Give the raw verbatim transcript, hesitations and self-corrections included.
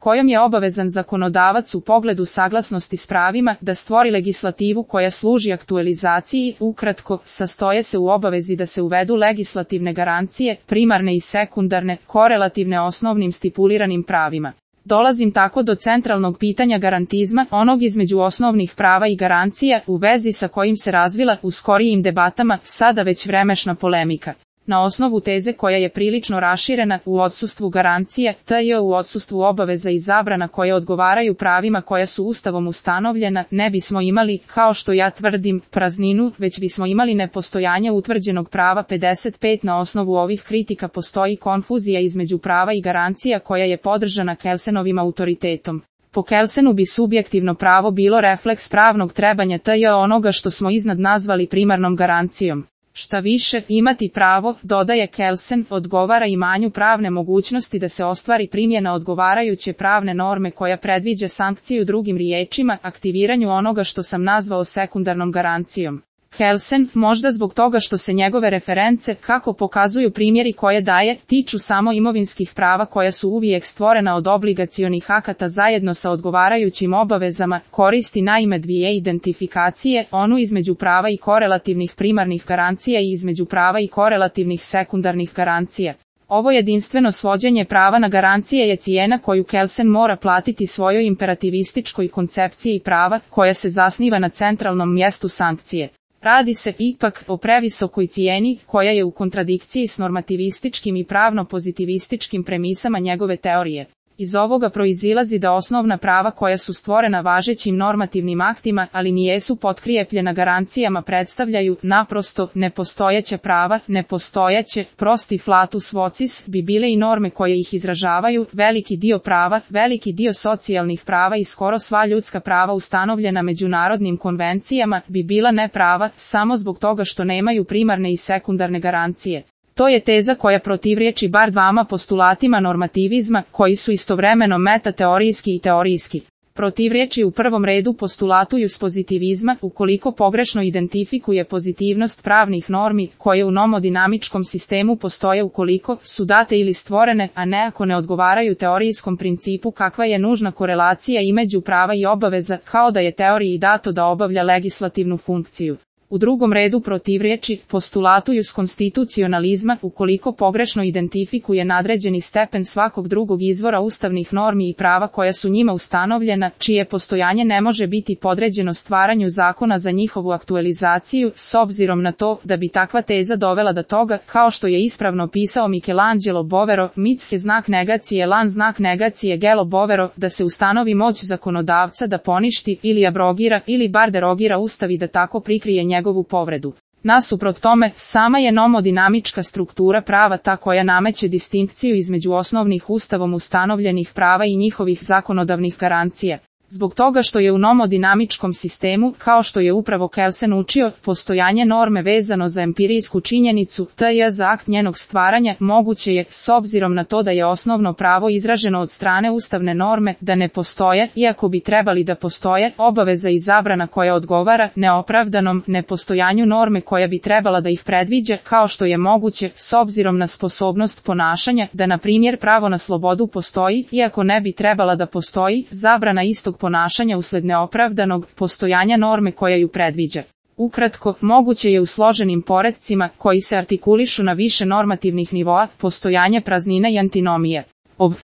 kojom je obavezan zakonodavac u pogledu saglasnosti s pravima da stvori legislativu koja služi aktualizaciji, ukratko, sastoje se u obavezi da se uvedu legislativne garancije, primarne i sekundarne, korelativne osnovnim stipuliranim pravima. Dolazim tako do centralnog pitanja garantizma, onog između osnovnih prava i garancija, u vezi sa kojim se razvila u skorijim debatama sada već vremešna polemika. Na osnovu teze koja je prilično raširena, u odsustvu garancije, tj. u odsustvu obaveza i zabrana koje odgovaraju pravima koja su Ustavom ustanovljena, ne bismo imali, kao što ja tvrdim, prazninu, već bismo imali nepostojanje utvrđenog prava pedeset pet. Na osnovu ovih kritika postoji konfuzija između prava i garancija koja je podržana Kelsenovim autoritetom. Po Kelsenu bi subjektivno pravo bilo refleks pravnog trebanja tj. onoga što smo iznad nazvali primarnom garancijom. Šta više, imati pravo, dodaje Kelsen, odgovara imanju pravne mogućnosti da se ostvari primjena odgovarajuće pravne norme koja predviđa sankciju, drugim riječima, aktiviranju onoga što sam nazvao sekundarnom garancijom. Kelsen, možda zbog toga što se njegove reference, kako pokazuju primjeri koje daje, tiču samo imovinskih prava koja su uvijek stvorena od obligacionih akata zajedno sa odgovarajućim obavezama, koristi naime dvije identifikacije, onu između prava i korelativnih primarnih garancija i između prava i korelativnih sekundarnih garancija. Ovo jedinstveno svođenje prava na garancije je cijena koju Kelsen mora platiti svojoj imperativističkoj koncepciji prava, koja se zasniva na centralnom mjestu sankcije. Radi se, ipak, o previsokoj cijeni, koja je u kontradikciji s normativističkim i pravno-pozitivističkim premisama njegove teorije. Iz ovoga proizilazi da osnovna prava koja su stvorena važećim normativnim aktima, ali nijesu potkrijepljena garancijama, predstavljaju, naprosto, nepostojeća prava, nepostojeće, prosti flatus vocis, bi bile i norme koje ih izražavaju, veliki dio prava, veliki dio socijalnih prava i skoro sva ljudska prava ustanovljena međunarodnim konvencijama, bi bila neprava, samo zbog toga što nemaju primarne i sekundarne garancije. To je teza koja protivriječi bar dvama postulatima normativizma, koji su istovremeno metateorijski i teorijski. Protivriječi u prvom redu postulatu juspozitivizma, ukoliko pogrešno identifikuje pozitivnost pravnih normi, koje u nomodinamičkom sistemu postoje ukoliko su date ili stvorene, a ne ako ne odgovaraju teorijskom principu kakva je nužna korelacija između prava i obaveza, kao da je teoriji dato da obavlja legislativnu funkciju. U drugom redu protivriječi postulatu juskonstitucionalizma, ukoliko pogrešno identifikuje nadređeni stepen svakog drugog izvora ustavnih normi i prava koja su njima ustanovljena, čije postojanje ne može biti podređeno stvaranju zakona za njihovu aktualizaciju, s obzirom na to da bi takva teza dovela do toga, kao što je ispravno pisao Michelangelo Bovero, mitske znak negacije lan znak negacije gelo Bovero, da se ustanovi moć zakonodavca da poništi ili abrogira ili bar derogira ustav i da tako prikrije njegov njegovu povredu. Nasuprot tome, sama je nomodinamička struktura prava ta koja nameće distinkciju između osnovnih ustavom ustanovljenih prava i njihovih zakonodavnih garancija. Zbog toga što je u nomodinamičkom sistemu, kao što je upravo Kelsen učio, postojanje norme vezano za empirijsku činjenicu, tj. za akt njenog stvaranja, moguće je, s obzirom na to da je osnovno pravo izraženo od strane ustavne norme, da ne postoje, iako bi trebali da postoje, obaveza i zabrana koja odgovara neopravdanom nepostojanju norme koja bi trebala da ih predviđa, kao što je moguće, s obzirom na sposobnost ponašanja, da na primjer pravo na slobodu postoji, iako ne bi trebala da postoji, zabrana istog ponašanja usled neopravdanog postojanja norme koja ju predviđa. Ukratko, moguće je u složenim poredcima, koji se artikulišu na više normativnih nivoa, postojanje praznine i antinomije. Ov